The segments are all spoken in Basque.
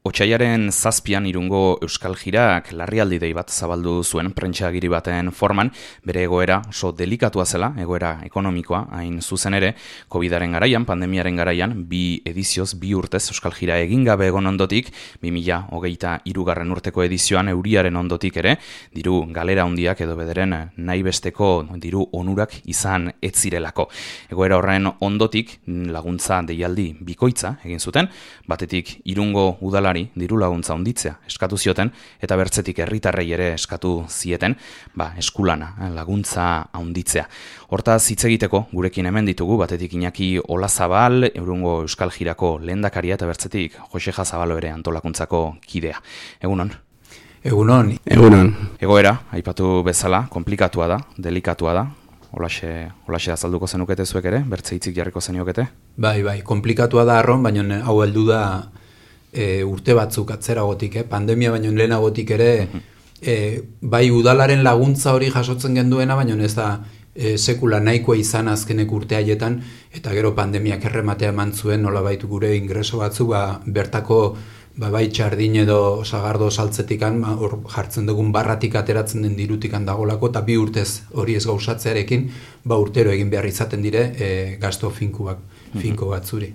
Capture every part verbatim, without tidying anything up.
Otsaiaren zazpian Irungo Euskal Jirak larrialdi dei bat zabaldu zuen prentsa-agiri baten forman, bere egoera oso delikatua zela, egoera ekonomikoa, hain zuzen ere, Covidaren garaian, pandemiaren garaian, bi edizioz, bi urtez Euskal Jira egin gabe egon ondotik, bi mila hogeita hirugarren urteko edizioan euriaren ondotik ere, diru galera handiak edo bederen nahi besteko diru onurak izan ez zirelako. Egoera horren ondotik laguntza deialdi bikoitza egin zuten, batetik Irungo udala diru laguntza handitzea eskatu zioten eta bertzetik herritarrei ere eskatu zieten, ba, eskulana laguntza handitzea. Hortaz hitz egiteko gurekin hemen ditugu batetik Iñaki Olazabal, Irungo Euskal Jirako lehendakaria eta bertzetik Joseja Zabalo ere antolakuntzako kidea. Egunon. Egunon. Egunon. Egoera, aipatu bezala, komplikatua da, delikatua da. Olaxe, olaxe azalduko zenukete zuek ere, bertze hitzik jarriko zeniokete? Bai, bai, komplikatua da arron, baina hau heldu da E, urte batzuk atzeragotik, eh? Pandemia baino lehenagotik ere, e, bai udalaren laguntza hori jasotzen genduena, baina ez da e, sekula nahikoa izan azkenek urte haietan, eta gero pandemiak errematea eman zuen, nola baitu gure ingreso batzu, ba, bertako ba, bai txardin edo sagardo saltzetikan, ba, hor jartzen dugun barratik ateratzen den dirutikan dagolako, eta bi urtez hori ez gauzatzearekin, ba, urtero egin behar izaten dire e, gasto finkuak. finko batzuri.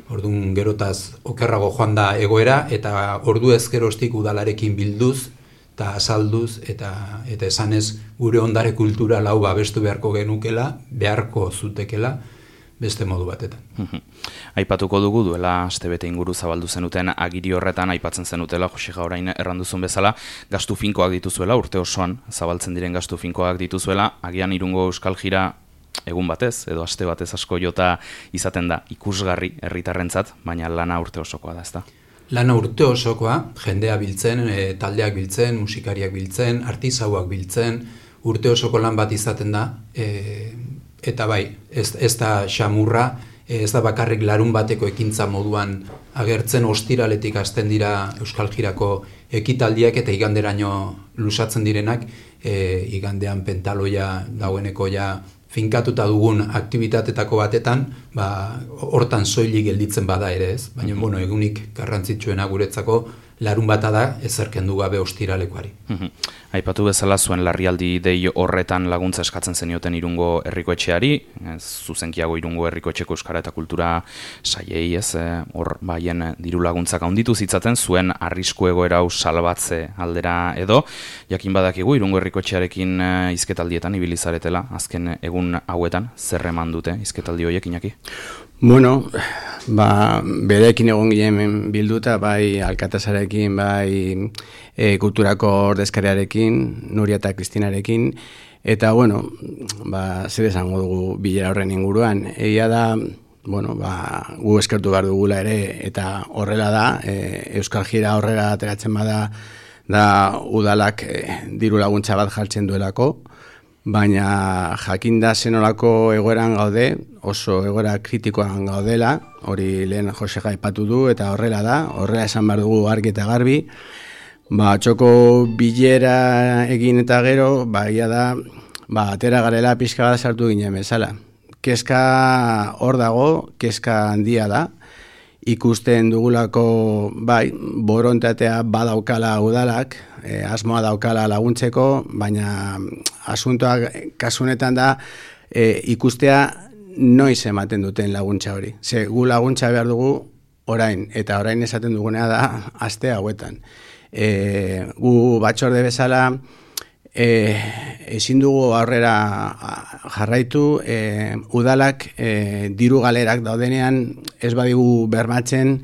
Orduan gerotaz okerrago joan da egoera eta ordu ezkerostik udalarekin bilduz eta azalduz eta eta esanez gure ondare kultural hau babestu beharko genukela, beharko zutekela beste modu batetan. Aipatuko dugu duela astebete inguru zabaldu zenuten agiri horretan aipatzen zenutela Joseja orain erranduzun bezala gastu finkoak dituzuela urte osoan zabaltzen diren gastu finkoak dituzuela agian Irungo Euskal Jira egun batez, edo aste batez asko jota izaten da ikusgarri herritarrentzat, baina lana urte osokoa da, ezta? Lana urte osokoa, jendea biltzen, e, taldeak biltzen, musikariak biltzen, artisauak biltzen, urte osoko lan bat izaten da, e, eta bai, ez, ez da xamurra, ez da bakarrik larun bateko ekintza moduan agertzen, ostiraletik hasten dira Euskal Jirako ekitaldiak eta iganderaino lusatzen direnak, e, igandean pentaloia dagoeneko ja finkatuta dugun aktivitatetako batetan, ba, hortan soilik gelditzen bada ere ez, baina bueno, egunik garrantzitsuena guretzako larun bata da ezerkendu gabe ostiralekoari. Aipatu bezala zuen larrialdi dei horretan laguntza eskatzen zenioten Irungo Herrikoetxeari, zuzenkiago Irungo Herrikoetxeko Euskara eta Kultura saiei, ez, hor baien diru laguntzak handitu zitzaten zuen arrisku egoera hau salbatze aldera edo, jakin badakigu Irungo Herrikoetxearekin hizketaldietan ibili zaretela, azken egun hauetan zer eman dute hizketaldi horiek, Iñaki? Bueno, ba, berekin egon ginen bilduta, bai alkatasarekin, bai e, kulturako ordezkariarekin, Nuria eta Kristinarekin, eta, bueno, ba, zer esango dugu bilera horren inguruan. Egia da, bueno, ba, gu eskertu behar dugula ere, eta horrela da, e, Euskal Jira horrela ateratzen bada, da udalak e, diru laguntza bat jartzen duelako, baina jakinda zenolako egoeran gaude, oso egoera kritikoan gaudela, hori lehen Josega aipatu du, eta horrela da, horrela esan behar dugu argi eta garbi, ba, txoko bilera egin eta gero, ba, ia da, ba, atera garela pixka bat sartu ginen bezala. Kezka hor dago, kezka handia da, ikusten dugulako, bai, borontatea badaukala udalak, e, asmoa daukala laguntzeko, baina asuntoak kasunetan da e, ikustea noiz ematen duten laguntza hori. Ze, gu laguntza behar dugu orain, eta orain esaten dugunea da aste hauetan. E, gu batzorde bezala e, ezin dugu aurrera jarraitu, e, udalak e, diru galerak daudenean ez badigu bermatzen,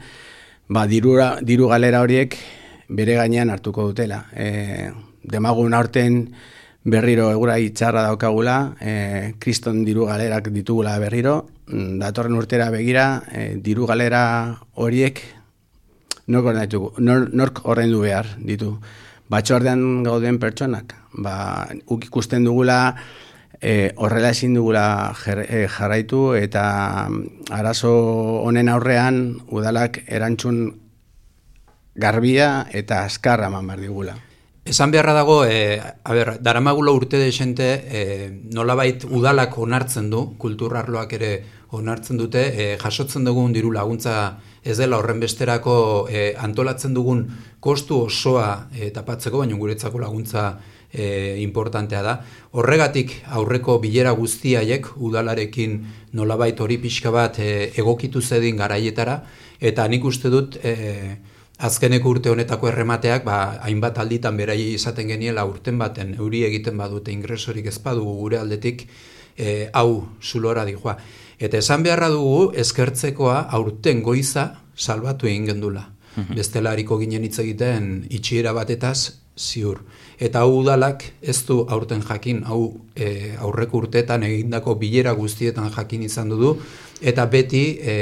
ba, dirura, diru galera horiek bere gainean hartuko dutela. E, demagun aurten berriro egura itxarra daukagula, e, kriston diru galerak ditugula berriro, datorren urtera begira, e, diru galera horiek nork, nork ordaindu behar ditu. Batzordean gauden pertsonak, ba, uk ikusten dugula, e, horrela ezin dugula jar, e, jarraitu eta arazo honen aurrean udalak erantzun garbia eta azkarra eman behar digula. Esan beharra dago, e, a ber, daramagula urte desente, e, nolabait udalak onartzen du, kulturarloak ere onartzen dute, e, jasotzen dugun diru laguntza ez dela horren besterako e, antolatzen dugun kostu osoa e, tapatzeko, baina guretzako laguntza e, importantea da. Horregatik aurreko bilera guztiaiek udalarekin nolabait hori pixka bat e, egokitu zedin garaietara, eta nik uste dut e, azkeneko urte honetako erremateak, ba, hainbat alditan beraiei izaten geniela urten baten euri egiten badute ingresorik ez badugu gure aldetik, e, hau zulora dijoa. Eta esan beharra dugu eskertzekoa aurten goiza salbatu egin gendula. Bestela hariko ginen hitz egiten itxiera batetaz ziur. Eta hau udalak ez du aurten jakin, hau e, aurreko urteetan egindako bilera guztietan jakin izan du, eta beti e,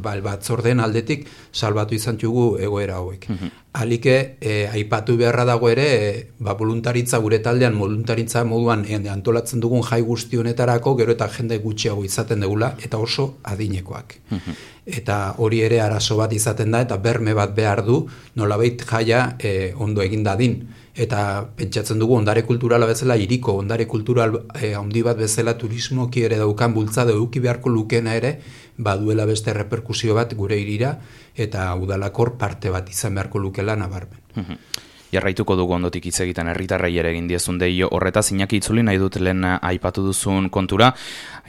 batzorden aldetik salbatu izan dugu egoera hauek. Mm-hmm. Alike, e, aipatu beharra dago ere, e, ba, voluntaritza gure taldean, voluntaritza moduan e, antolatzen dugun jai guzti honetarako, gero eta jende gutxiago izaten dugula, eta oso adinekoak. Mm-hmm. Eta hori ere arazo bat izaten da, eta berme bat behar du, nolabait jaia e, ondo egin dadin. Eta pentsatzen dugu ondare kulturala bezala hiriko ondare kultural eh, handi bat bezala turismoki ere daukan bultzada eduki beharko lukena ere baduela beste reperkusio bat gure hirira eta udalakor parte bat izan beharko lukela nabarmen. Mm-hmm. Jarraituko dugu ondotik hitz egiten herritarrei ere egin diezun deio horretaz Iñaki itzuli nahi dut lehen aipatu duzun kontura,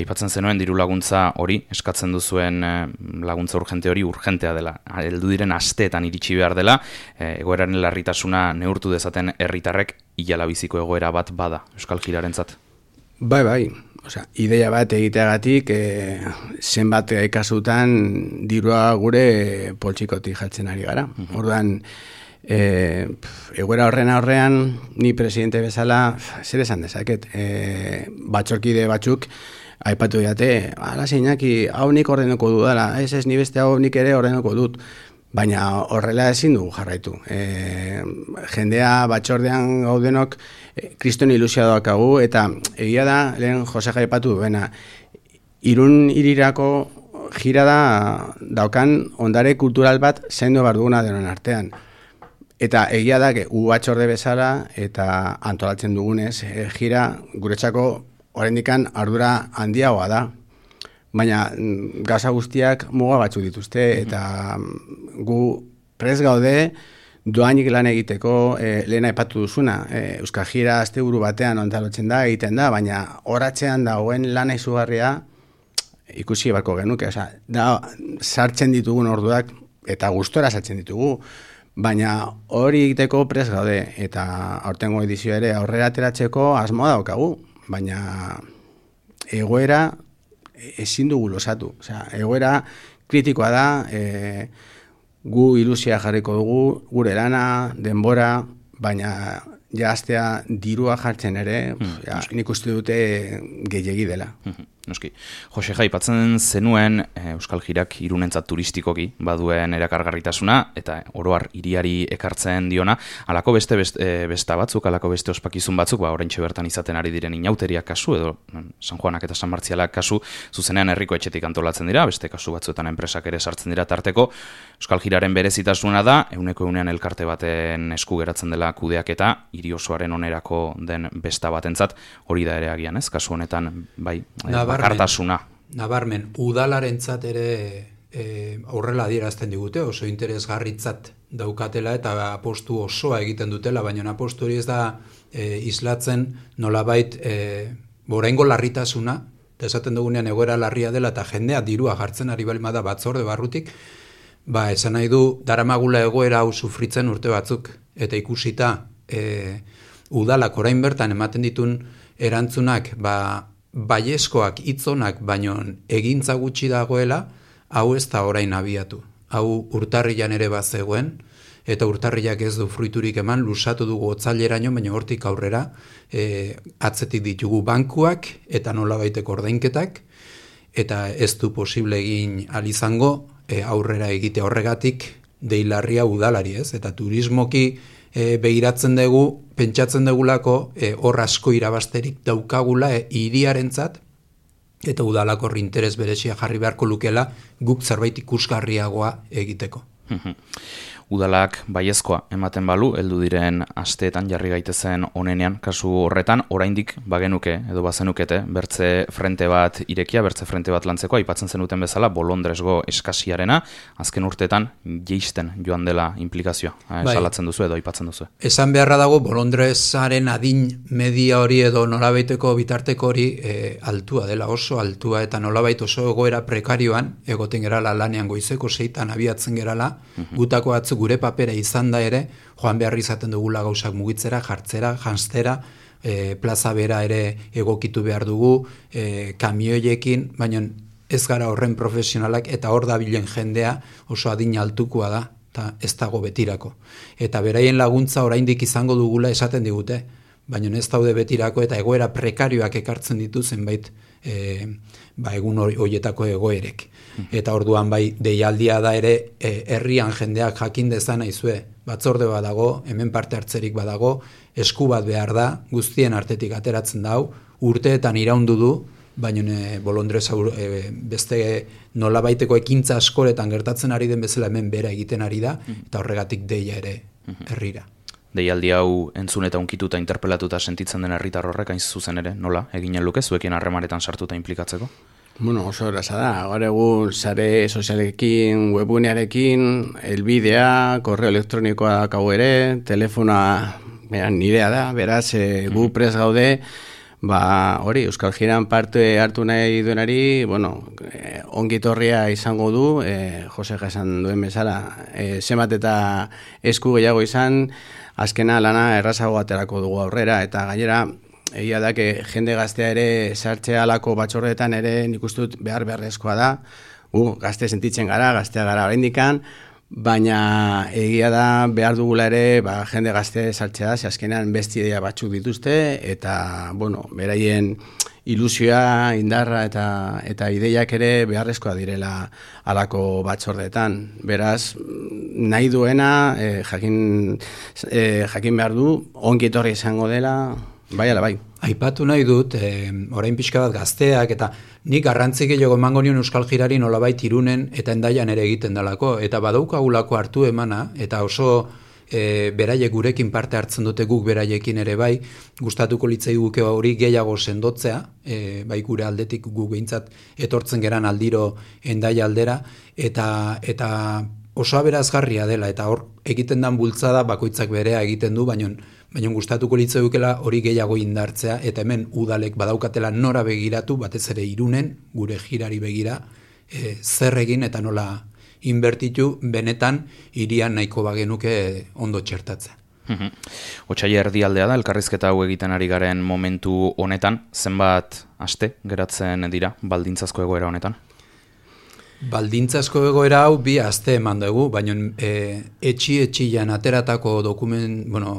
aipatzen zenuen diru laguntza hori, eskatzen duzuen laguntza urgente hori urgentea dela, heldu diren asteetan iritsi behar dela, egoeraren larritasuna neurtu dezaten herritarrek hilala biziko egoera bat bada Euskal Jirarentzat. Bai, bai. Osea, ideia bat egiteagatik e, zenbat kasutan dirua gure poltsikotik jartzen ari gara. Mm-hmm. Orduan, E, egoera horren aurrean ni presidente bezala zer esan dezaket e, batxorkide batzuk aipatu diate, ala Iñaki, hau nik ordenuko dudala, ez ez ni beste hau nik ere ordenuko dut, baina horrela ezin dugu jarraitu. E, jendea batxordean gaudenok e, kriston ilusioa daukagu, eta egia da, lehen Jose aipatu duena, Irun hirirako jira da daukan ondare kultural bat zaindu behar duguna denon artean. Eta egia da, u batxorde bezala eta antolatzen dugunez, e, jira guretzako oraindikan ardura handiagoa da. Baina gauza guztiak muga batzuk dituzte, eta gu prest gaude doainik lan egiteko e, lehen aipatu duzuna. E, Euskal Jira asteburu batean antolatzen da, egiten da, baina horatzean dagoen lana izugarria ikusi barko genuke. Osa, da, sartzen ditugun orduak eta gustora sartzen ditugu. Baina hori egiteko prest gaude, eta aurtengo edizio ere aurrera ateratzeko asmoa daukagu, baina egoera ezin dugu losatu. Osea, egoera kritikoa da, e, gu ilusia jarriko dugu, gure lana, denbora, baina ja astea dirua jartzen ere, mm, ja, nik uste dute gehiegi dela. Mm-hmm. Noski. Jose aipatzen zenuen e, Euskal Jirak Irunentzat turistikoki baduen erakargarritasuna eta oroar hiriari ekartzen diona, halako beste beste, e, besta batzuk, halako beste ospakizun batzuk, ba oraintxe bertan izaten ari diren inauteriak kasu edo San Juanak eta San Martzialak kasu zuzenean herriko etxetik antolatzen dira, beste kasu batzuetan enpresak ere sartzen dira tarteko. Euskal Jiraren berezitasuna da ehuneko ehunean elkarte baten esku geratzen dela kudeaketa hiri osoaren onerako den besta batentzat, hori da ere agian, ez? Kasu honetan bai bakartasuna. Nabarmen, udalarentzat ere e, aurrela adierazten digute, oso interesgarritzat daukatela eta apostu osoa egiten dutela, baina apostu hori ez da e, islatzen nolabait e, oraingo larritasuna, eta esaten dugunean egoera larria dela eta jendea dirua jartzen ari balima da batzorde barrutik, ba, esan nahi du daramagula egoera hau sufritzen urte batzuk, eta ikusita e, udalak orain bertan ematen ditun erantzunak, ba, baiezkoak hitzonak baino egintza gutxi dagoela, hau ez da orain abiatu. Hau urtarrilan ere bazegoen, eta urtarrilak ez du fruiturik eman, lusatu dugu otzaileraino, baina hortik aurrera e, atzetik ditugu bankuak eta nolabaiteko ordainketak, eta ez du posible egin alizango e, aurrera egite horregatik deilarria udalari, ez? Eta turismoki e, behiratzen dugu, pentsatzen dugulako e, hor asko irabasterik daukagula e, hiriarentzat, eta udalakor interes berezia jarri beharko lukela guk zerbait ikusgarriagoa egiteko. udalak baiezkoa ematen balu, heldu diren asteetan jarri gaitezen onenean, kasu horretan, oraindik bagenuke edo bazenukete, bertze frente bat irekia, bertze frente bat lantzeko, aipatzen zenuten bezala, bolondresgo eskasiarena, azken urteetan jeisten joan dela implikazioa. Bai. Salatzen duzu edo aipatzen duzu. Esan beharra dago, bolondresaren adin media hori edo nolabaiteko bitarteko hori e, altua dela, oso altua, eta nolabait oso egoera prekarioan, egoten gerala lanean goizeko seitan abiatzen gerala, uh-huh. gutako batzu gure papera izan da ere, joan behar izaten dugula gauzak mugitzera, jartzera, janztera, e, plaza bera ere egokitu behar dugu, e, kamioiekin, baina ez gara horren profesionalak, eta hor da bilen jendea oso adin altukoa da, eta ez dago betirako. Eta beraien laguntza oraindik izango dugula esaten digute, baina ez daude betirako eta egoera prekarioak ekartzen ditu zenbait e, ba, egun horietako egoerek. Eta orduan bai deialdia da ere e, herrian jendeak jakin dezan aizue, batzorde badago, hemen parte hartzerik badago, esku bat behar da, guztien artetik ateratzen dau, urteetan iraundu du, baina e, bolondrez e, beste nolabaiteko ekintza askoretan gertatzen ari den bezala hemen bera egiten ari da, eta horregatik deia ere herrira. Deialdi hau entzun eta unkituta interpelatuta sentitzen den herritar horrek hain zuzen ere, nola, eginen luke, zuekin harremanetan sartuta implikatzeko? Bueno, oso erraza da, gaur egun sare sozialekin, webunearekin, elbidea, korreo elektronikoa dakau ere, telefonoa nirea da, beraz, e, gu prest gaude, ba, hori, Euskal Jiran parte hartu nahi duenari, bueno, eh, ongitorria izango du, eh, Jose esan duen bezala, eh, zemat eta esku gehiago izan, azkena lana errazago aterako dugu aurrera, eta gainera, egia da, que jende gaztea ere sartzea alako batxorretan ere nik uste dut behar beharrezkoa da, uh, gazte sentitzen gara, gaztea gara oraindikan, baina egia da behar dugula ere ba, jende gazte sartzea, ze azkenean beste idea batzuk dituzte, eta, bueno, beraien ilusioa, indarra eta, eta ideiak ere beharrezkoa direla alako batzordeetan. Beraz, nahi duena, eh, jakin, eh, jakin behar du, ongi etorri izango dela, bai ala bai. Aipatu nahi dut, eh, orain pixka bat gazteak, eta nik garrantzik gehiago emango nion Euskal Jirari nolabait Irunen eta Hendaian ere egiten dalako, eta badaukagulako hartu emana, eta oso e, beraiek gurekin parte hartzen dute guk beraiekin ere bai, gustatuko litzai guke hori gehiago sendotzea, e, bai gure aldetik gu behintzat etortzen geran aldiro Hendaia aldera, eta, eta oso aberazgarria dela, eta hor egiten dan bultzada bakoitzak berea egiten du, baina baina gustatuko litzaukela hori gehiago indartzea, eta hemen udalek badaukatela nora begiratu, batez ere Irunen, gure jirari begira, e, zer egin eta nola inbertitu benetan hirian nahiko bagenuke ondo txertatzea. Otsaila erdialdea da, elkarrizketa hau egiten ari garen momentu honetan, zenbat aste geratzen dira baldintzazko egoera honetan? Baldintzazko egoera hau bi aste eman dugu, baina e, etxi-etxian ateratako dokument, bueno,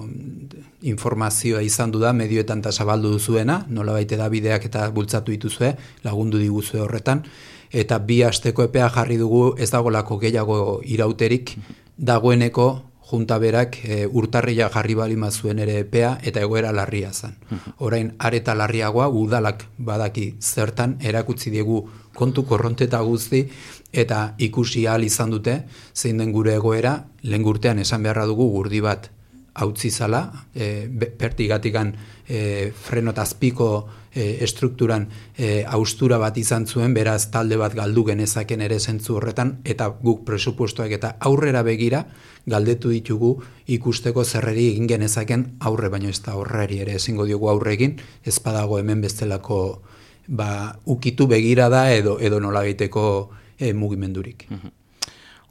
informazioa izan du da, medioetan eta zabaldu duzuena, nola baite da bideak eta bultzatu dituzue, lagundu diguzue horretan, eta bi asteko epea jarri dugu ez dagolako gehiago irauterik, dagoeneko junta berak e, urtarria jarri balima zuen ere epea eta egoera larria zen. Orain areta larriagoa udalak badaki zertan erakutsi diegu kontu korronteta guzti eta ikusi ahal izan dute zein den gure egoera, lehen urtean esan beharra dugu gurdi bat hautzi zala, e, pertigatikan e, frenotazpiko e, estrukturan e, austura bat izan zuen, beraz talde bat galdu genezaken ere zentzu horretan, eta guk presupuestoak eta aurrera begira galdetu ditugu ikusteko zerreri egin genezaken aurre, baino ez da horreri ere ezingo diogu aurre egin, ez badago hemen bestelako ba, ukitu begira da edo, edo nola egiteko e, mugimendurik.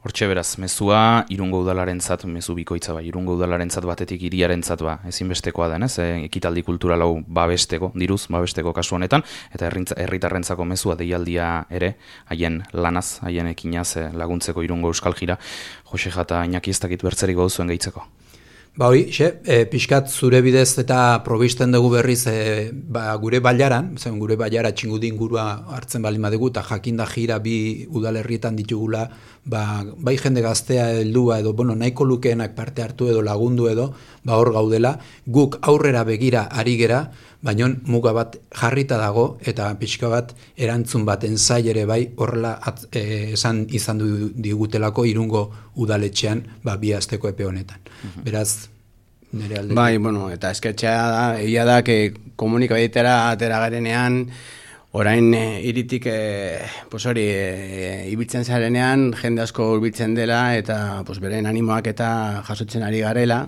Hortxe beraz, mezua Irungo udalarentzat, mezu bikoitza bai, Irungo udalarentzat batetik hiriarentzat ba, ezinbestekoa denez, e, ekitaldi kultural hau babesteko, diruz babesteko kasu honetan, eta herritarrentzako mezua deialdia ere, haien lanaz, haien ekinaz e, laguntzeko Irungo Euskal Jira. Jose Jata, Iñaki ez dakit bertzerik bauzuen gehitzeko. Ba hori, xe, e, pixkat zure bidez eta probisten dugu berriz e, ba, gure bailaran, zen gure bailara txingudi ingurua hartzen balima dugu, eta jakinda jira bi udalerrietan ditugula, ba, bai jende gaztea heldua edo, bueno, nahiko lukeenak parte hartu edo lagundu edo, ba hor gaudela, guk aurrera begira ari gera, baina muga bat jarrita dago, eta pixka bat erantzun baten zai ere bai, horrela at, e, esan izan du digutelako Irungo udaletxean ba, bi asteko epe honetan. Beraz, nire alde. Bai, bueno, eta esketxea da, egia da, que komunikabietera atera garenean, orain e, iritik, e, pues hori, e, ibiltzen zarenean, jende asko hurbiltzen dela, eta pues, beren animoak eta jasotzen ari garela,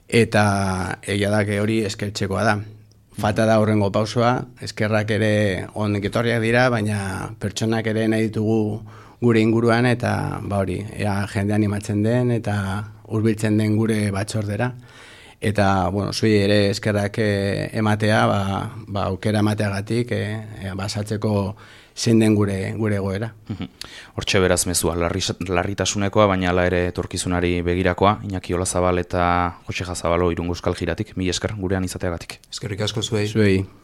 eta egia da, que hori eskertzekoa da. Falta da horrengo pausoa, eskerrak ere onik etorriak dira, baina pertsonak ere nahi ditugu gure inguruan, eta ba hori, ea jende animatzen den, eta hurbiltzen den gure batzordera. Eta, bueno, zui ere eskerrak eh, ematea, ba, ba, aukera emateagatik, eh, eh, basatzeko zein den gure, gure goera. Hortxe beraz mezua, larri, larritasunekoa, baina ala ere etorkizunari begirakoa, Iñaki Olazabal eta Jose Jazabalo Irungo Euskal Jiratik, mila esker gurean izateagatik. Eskerrik asko zuei. Zuei.